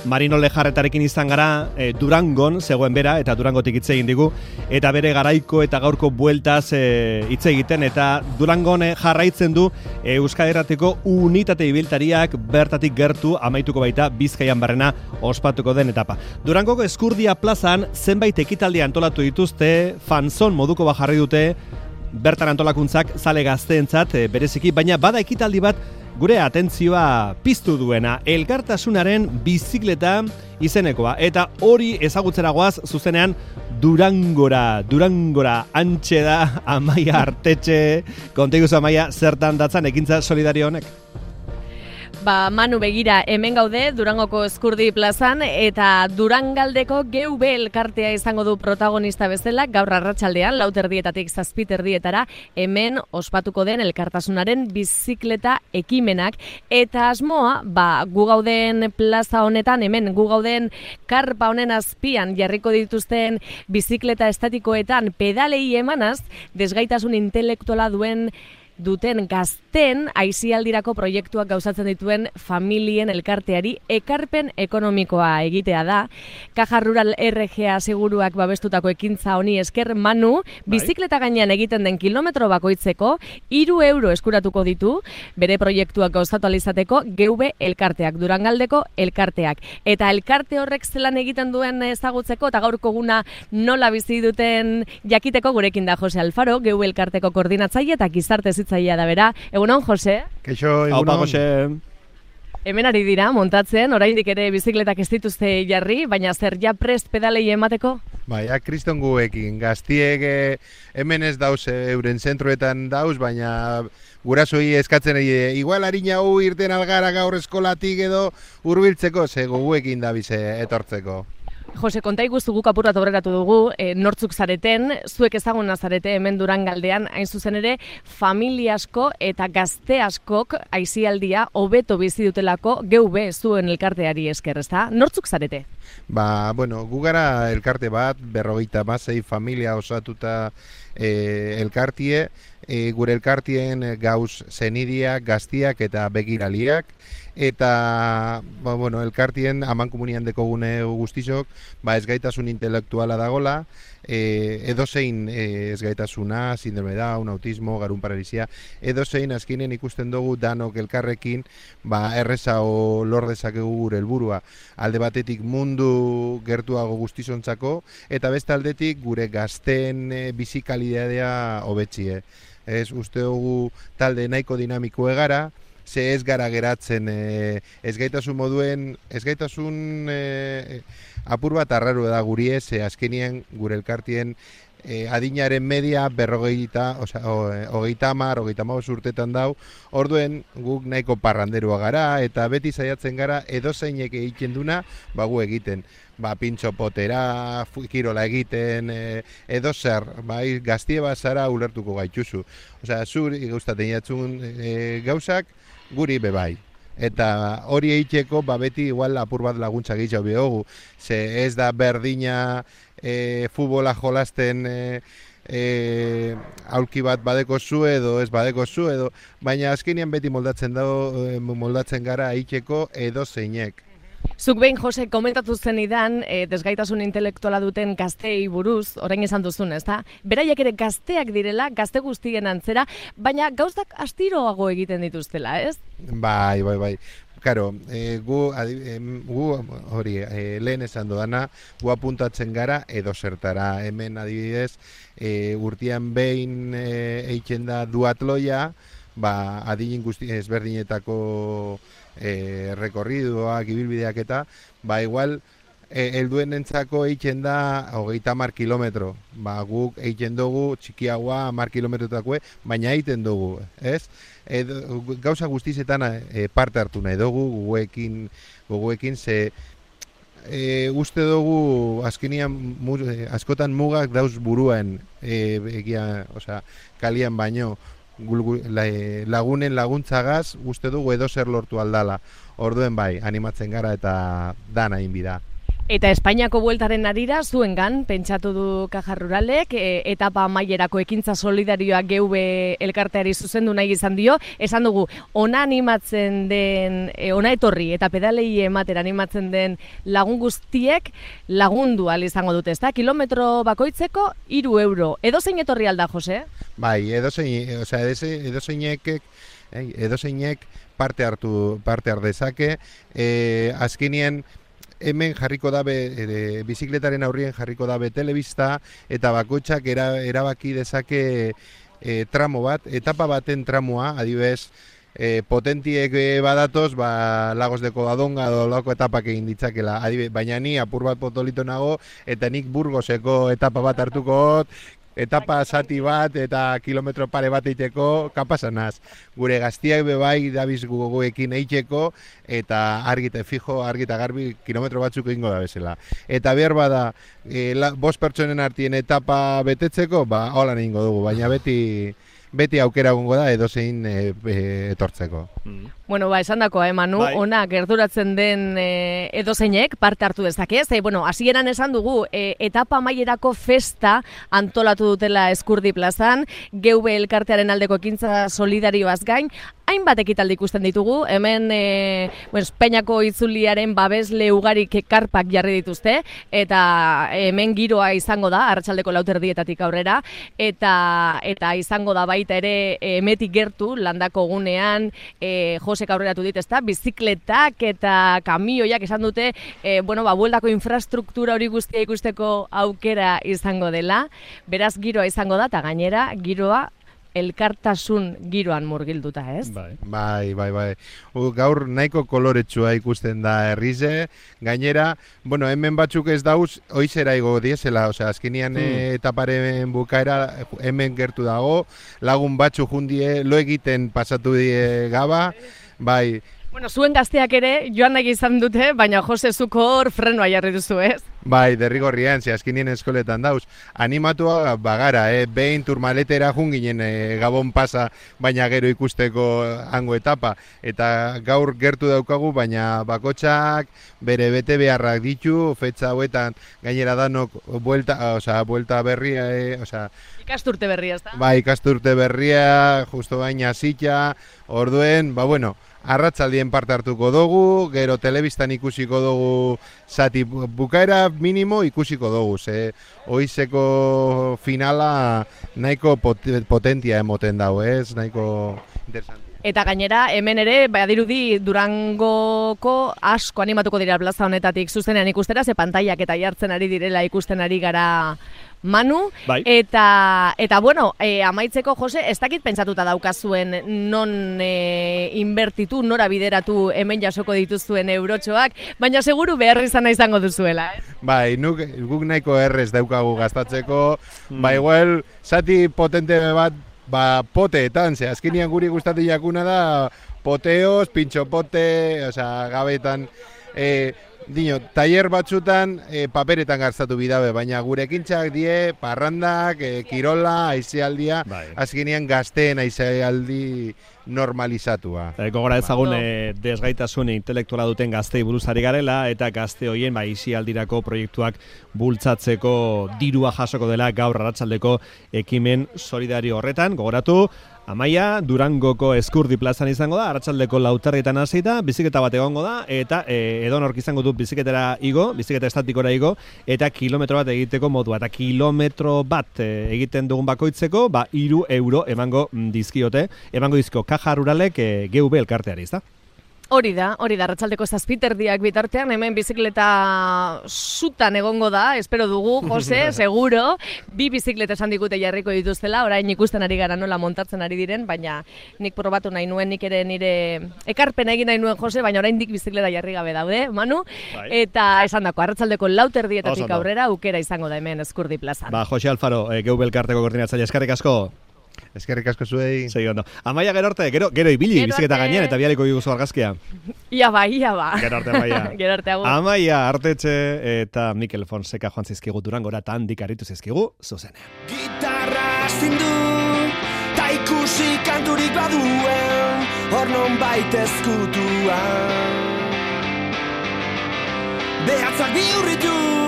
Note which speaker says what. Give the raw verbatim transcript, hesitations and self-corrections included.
Speaker 1: Marino Lejarretarekin izan gara, e, Durangon zegoen bera, eta Durangotik hitz egin digu, eta bere garaiko eta gaurko bueltaz e, hitz egiten, eta Durangon e, jarraitzen du e, Euskal Irratiko unitate ibiltariak bertatik gertu amaituko baita Bizkaian barrena ospatuko den etapa. Durangoko Eskurdia plazan zenbait ekitaldi antolatu dituzte, fanzon moduko bajarri dute, bertan antolakuntzak zale gazteentzat e, bereziki, baina bada ekitaldi bat gure atentzioa piztu duena, elkartasunaren bizikleta izenekoa, eta hori ezagutzera goaz zuzenean Durangora, Durangora, antxe da Amaia Artetxe, konteguz Amaia, zertan datzan ekintza solidario honek?
Speaker 2: Ba, Manu, begira, hemen gaude Durangoko Eskurdi plazan, eta Durangaldeko G V elkartea izango du protagonista bezala, gaur arratsaldean lauterdietatik zazpiterdietara, hemen ospatuko den elkartasunaren bizikleta ekimenak, eta asmoa, ba, gu gauden plaza honetan, hemen gu gauden karpa honen azpian jarriko dituzten bizikleta estatikoetan pedalei emanaz, desgaitasun intelektuala duen duten gazten aisialdirako proiektuak gauzatzen dituen familien elkarteari ekarpen ekonomikoa egitea da. Caja Rural R G A seguruak babestutako ekintza honi esker, Manu, bizikleta gainean egiten den kilometro bakoitzeko hiru euro eskuratuko ditu bere proiektuak gauzatu alizateko G V elkarteak, Durangaldeko elkarteak. Eta elkarte horrek zelan egiten duen ezagutzeko eta gaurko guna nola bizi duten jakiteko gurekin da Jose Alfaro, G V elkarteko koordinatzaile eta gizarte zaila da bera. Egunon, Jose?
Speaker 3: Keixo, egunon.
Speaker 1: Aupa, Jose.
Speaker 2: Hemen ari dira, montatzen, oraindik ere bizikletak ez dituzte jarri, baina zer ja prest pedalei emateko?
Speaker 3: Baina, kriston guekin, gaztiek eh, hemen ez dauz, eh, euren zentroetan dauz, baina gurasoi eskatzen eh, igual harina hu irten algara gaur eskolatik edo hurbiltzeko, ze guekin da bize etortzeko.
Speaker 2: Jose, konta iguzu guk apurrat aurreratu dugu, e, nortzuk zareten, zuek ezaguna zarete hemen Durangaldean, hain zuzen ere, familia asko eta gazte askok aisialdia hobeto bizi dutelako G V zuen elkarteari esker, ezta? Nortzuk zarete?
Speaker 3: Ba, bueno, gu gara elkarte bat, berrogeita hamasei familia osatuta e, elkartie, e, gure elkartien gauz zenidiak, gaztiak eta begiraliak, eta ba, bueno, elkartien amankomunian dekogune guztizok, ba, ezgaitasun intelektuala dagola, e, edozein e, ezgaitasuna, sindrome Down, autismo, garun paralisia, edozein azkinen ikusten dugu danok elkarrekin, ba, erreza o lor dezakegu gure helburua. Alde batetik mundu gertuago guztizontzako, eta beste aldetik gure gazten e, bizikalidadea hobetzie. Ez uste dugu talde nahiko dinamiko egara, ze ez gara geratzen e, ezgaitasun moduen, ezgaitasun e, apur bat arraru da guri ez, e, azkenien gure elkartien e, adinaren media berrogeita, oza, o, hogeita hamar, hogeita hamabost urtetan dau, orduen guk nahiko parranderua gara, eta beti saiatzen gara edozeinek egiten duna, ba gu egiten. Ba, pintxo potera, kirola egiten, e, edo zer, bai, gaztie bazara ulertuko gaituzu. Osea, zuri gauzaten jatzun e, gauzak, guri bebai. Eta hori egiteko, ba, beti igual apur bat laguntza gehiago behogu. Ze ez da berdina e, futbola jolasten e, e, aulki bat badeko zu edo ez badeko zu edo, baina azkenean beti moldatzen dago, moldatzen gara egiteko edo zeinek.
Speaker 2: Zuk behin, Jose, komentatu zenidan, e, desgaitasun intelektuala duten gazteei buruz, orain esan duzun, ez da? Beraiek ere gazteak direla, gazte guztien antzera, baina gauzak astiroago egiten dituztela, ez?
Speaker 3: Bai, bai, bai. Karo, e, gu, adi, e, gu hori, e, lehen esan dodana, gu apuntatzen gara edo zertara. Hemen adibidez, e, urtean behin e, eitzen da duatloia, ba, adin guzti ezberdinetako e, rekorriduak, ibilbideak eta, ba, igual, e, helduen entzako eitzen da hogeita hamar kilometro. Ba, guk eitzen dugu txikiagoa hamar kilometrotakue, baina egiten dugu, ez? E, gauza guztizetan e, parte hartu nahi dugu, guguekin, guguekin ze e, uste dugu azkenian mu, e, askotan mugak dauz buruen e, egia, osea, kalian baino, lagunen laguntzagaz uste dugu edo zer lortu aldala. Orduen bai, animatzen gara eta dana inbida.
Speaker 2: Eta Espainiako bueltaren arira, zuengan, pentsatu du Caja Ruralek, e, etapa amaierako ekintza solidarioak G V elkarteari zuzendu nahi izan dio, esan dugu, ona animatzen den, e, ona etorri eta pedalei ematera animatzen den lagun guztiek lagundu ahal izango dute, ezta? Kilometro bakoitzeko hiru euro. Edozein etorri alda, Jose?
Speaker 3: Bai, edozein, osea, edozeinek, edozeinek parte hartu, parte har dezake, e, azkenien, hemen jarriko dabe, e, bizikletaren aurrien jarriko dabe telebista, eta bakoitzak era, erabaki dezake e, tramo bat, etapa baten tramoa, adibidez, e, potentiek badatoz, ba, Lagos de Covadonga edo lako etapak egin ditzakela, adibidez, baina ni apur bat potolito nago, eta nik Burgoseko etapa bat hartuko hot, etapa zati bat eta kilometro pare bat eiteko kapasanaz. Gure gaztiak bebai dabiz guguekin eiteko eta argite fijo, argita garbi kilometro batzuk egingo da bezala. Eta behar bada, e, la, bost pertsonen artien etapa betetzeko, ba, holan egingo dugu, baina beti... beti aukera egongo da edozein e, e, etortzeko.
Speaker 2: Mm. Bueno, ba, esan dakoa, eh, Manu, bai. Ona gerturatzen den e, edozeinek parte hartu dezake, ze, bueno, hasieran esan dugu, e, etapa amaierako festa antolatu dutela Eskurdi plazan, G V elkartearen aldeko ekintza solidarioaz gain, hainbat ekitaldi ikusten ditugu, hemen e, bueno, Espainiako itzuliaren babesle ugarik karpak jarri dituzte, eta hemen giroa izango da, arratsaldeko lauterdietatik aurrera, eta eta izango da baita ere emetik gertu, landako gunean, e, Josek aurreratu dit, ezta, bizikletak eta kamioiak esan dute, e, bueno, ba, bueldako infrastruktura hori guztia ikusteko aukera izango dela, beraz giroa izango da, eta gainera giroa elkartasun giroan murgilduta, ez?
Speaker 3: Bai, bai, bai, bai. U, gaur nahiko koloretsua ikusten da herrize, gainera, bueno, hemen batzuk ez dauz, oizera igo diesela, osea, azkenian hmm. etaparen bukaera hemen gertu dago, lagun batzu jundie, lo egiten pasatu die gaba, bai.
Speaker 2: Bueno, zuen gazteak ere joan nahi izan dute, baina Jose zuko hor frenoa jarri duzu, ez?
Speaker 3: Bai, derrigorrian, ze azkenien eskoletan dauz. Animatua bagara, eh? Behin turmaletera junginen eh, Gabon pasa, baina gero ikusteko hango etapa. Eta gaur gertu daukagu, baina bakotxak bere bete beharrak ditu, fetxa hauetan gainera danok buelta, osea, buelta berria, eh? Osea,
Speaker 2: ikasturte berria, ez da?
Speaker 3: Bai, ikasturte berria, justo baina zitxa, orduen, ba bueno, arratsaldien parte hartuko dugu, gero telebistan ikusiko dugu zati bukaera minimo ikusiko dugu, ze oizeko finala nahiko potentia emoten dago, ez? Nahiko interesante.
Speaker 2: Eta gainera, hemen ere, badirudi Durangoko asko animatuko dira plaza honetatik zuzenean ikustera, ze pantaiak eta jartzen ari direla ikusten ari gara Manu, bai. eta, eta bueno, e, amaitzeko, Jose, ez dakit pentsatuta daukazuen non e, inbertitu, nora bideratu hemen jasoko dituzuen eurotxoak, baina seguru behar izan izango duzuela, eh?
Speaker 3: Bai, nuk, guk nahiko errez daukagu gastatzeko, mm. ba igual, zati potente bat, ba poteetan, ze azkenian guri gustatu jakuna da poteos, pintxopote, osea, gabetan, e, dino, taller batzutan e, paperetan gastatu bidabe, baina gure ekintzak die, parrandak, e, kirola, aizealdia, bai. Azkenean gazteen aizealdi normalizatua.
Speaker 1: E, gogora ezagun e, desgaitasun intelektuala duten gaztei buruzari garela, eta gazte hoien ba, aizealdirako proiektuak bultzatzeko dirua jasoko dela gaur arratsaldeko ekimen solidario horretan, gogoratu, Amaia, Durangoko Eskurdi plazan izango da, arratsaldeko lauterrietan hasita, biziketa bat egongo da, eta e, edonork izango du biziketara igo, biziketa estatikora igo, eta kilometro bat egiteko modua. Eta kilometro bat e, egiten dugun bakoitzeko, ba, hiru euro emango dizkiote, emango dizko Caja Ruralek e, G V elkarteari, ezta?
Speaker 2: Hori da, hori da, arratsaldeko zazpiterdiak bitartean, hemen bizikleta zutan egongo da, espero dugu, Jose, seguro, bi bizikleta esan digute jarriko dituztela, orain ikusten ari gara nola montatzen ari diren, baina nik probatu nahi nuen, nik ere nire ekarpena egin nahi nuen, Jose, baina orain dik bizikleta jarri gabe daude, Manu, bai. Eta esan dako, arratsaldeko lauterdietatik aurrera, aukera izango da hemen Eskurdi plazan.
Speaker 1: Ba, Jose Alfaro, e, G V elkarteko koordinatzaile, eskerrik asko.
Speaker 3: Eskerrik asko zuei.
Speaker 1: Segi ondo. Amaia gero arte, gero, gero ibili biziketa gainean eta bialiko diguzu argazkia.
Speaker 2: Ia ba, ia ba.
Speaker 1: Gero arte, Amaia.
Speaker 2: Gero arte, agur.
Speaker 1: Amaia Artetxe eta Mikel Fonseca joan zizkigu Durangora eta handik aritu zizkigu zuzenean.
Speaker 4: Gitarra zindu, ta ikusi kanturik baduen, hor non baita ezkutuan. behatzak bihurritu